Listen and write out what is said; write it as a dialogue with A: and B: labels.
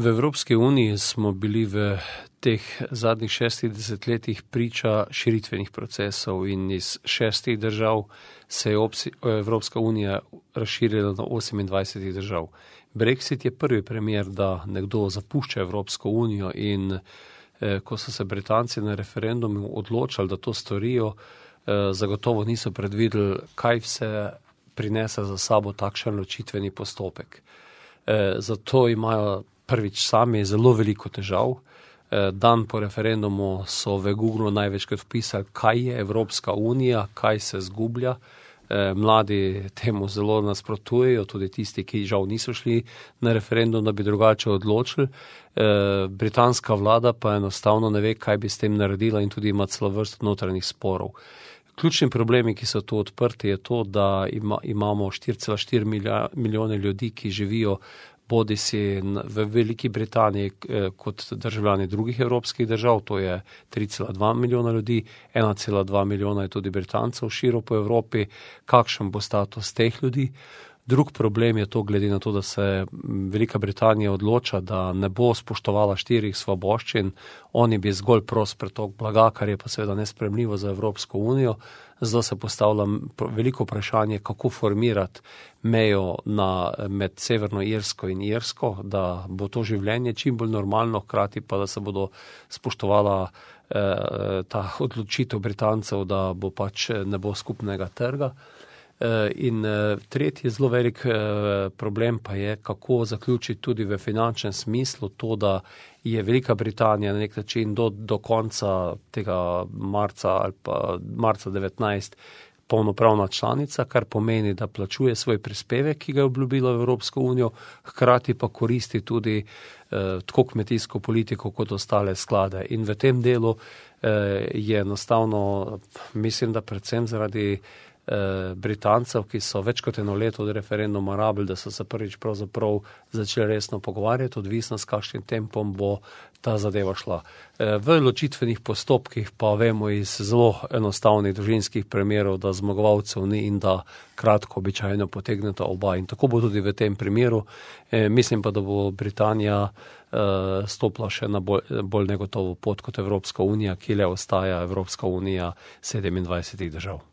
A: V Evropski uniji smo bili v teh zadnjih 6 desetletjih priča širitvenih procesov in iz 6 držav se je Evropska unija razširila na 28 držav. Brexit je prvi primer, da nekdo zapušča Evropsko unijo in ko so se Britanci na referendumu odločali, da to storijo, zagotovo niso predvideli, kaj vse prinese za sabo takšen ločitveni postopek. Zato imajo prvič sami zelo veliko težav. Dan po referendumu so v Google največkrat vpisali, kaj je Evropska unija, kaj se zgublja. Mladi temu zelo nasprotujejo, tudi tisti, ki žal niso šli na referendum, da bi drugače odločili. Britanska vlada pa enostavno ne ve, kaj bi s tem naredila in tudi ima celo vrsto notranjih sporov. Ključni problemi, ki so tu odprti, je to, da imamo 4,4 milijone ljudi, ki živijo bodisi v Veliki Britaniji kot državljani drugih evropskih držav, to je 3,2 milijona ljudi, 1,2 milijona je tudi Britancev širom po Evropi. Kakšen bo status teh ljudi? Drug problem je to, glede na to, da se Velika Britanija odloča, da ne bo spoštovala 4 svoboščin, oni bi zgolj prost pretok blaga, kar je pa seveda nesprejemljivo za Evropsko unijo. Zdaj se postavlja veliko vprašanje, kako formirati mejo med Severno Irsko in Irsko, da bo to življenje čim bolj normalno, hkrati pa da se bodo spoštovala ta odločitev Britancev, da bo pač ne bo skupnega trga. In tretji zelo velik problem pa je, kako zaključiti tudi v finančnem smislu to, da je Velika Britanija na nek način do konca tega marca ali pa marca 19 polnopravna članica, kar pomeni, da plačuje svoj prispevek, ki ga je obljubila v Evropsko unijo, hkrati pa koristi tudi tako kmetijsko politiko kot ostale sklade. In v tem delu je enostavno, mislim, da predvsem zaradi Britancev, ki so več kot 1 leto od referenduma rabili, da so se prvič pravzaprav začeli resno pogovarjati, odvisno s kakšnim tempom bo ta zadeva šla. V ločitvenih postopkih pa vemo iz zelo enostavnih družinskih primerov, da zmagovalcev ni in da kratko običajno potegneta oba. In tako bo tudi v tem primeru. Mislim pa, da bo Britanija stopila še na bolj negotovo pot kot Evropska unija, ki le ostaja Evropska unija 27 držav.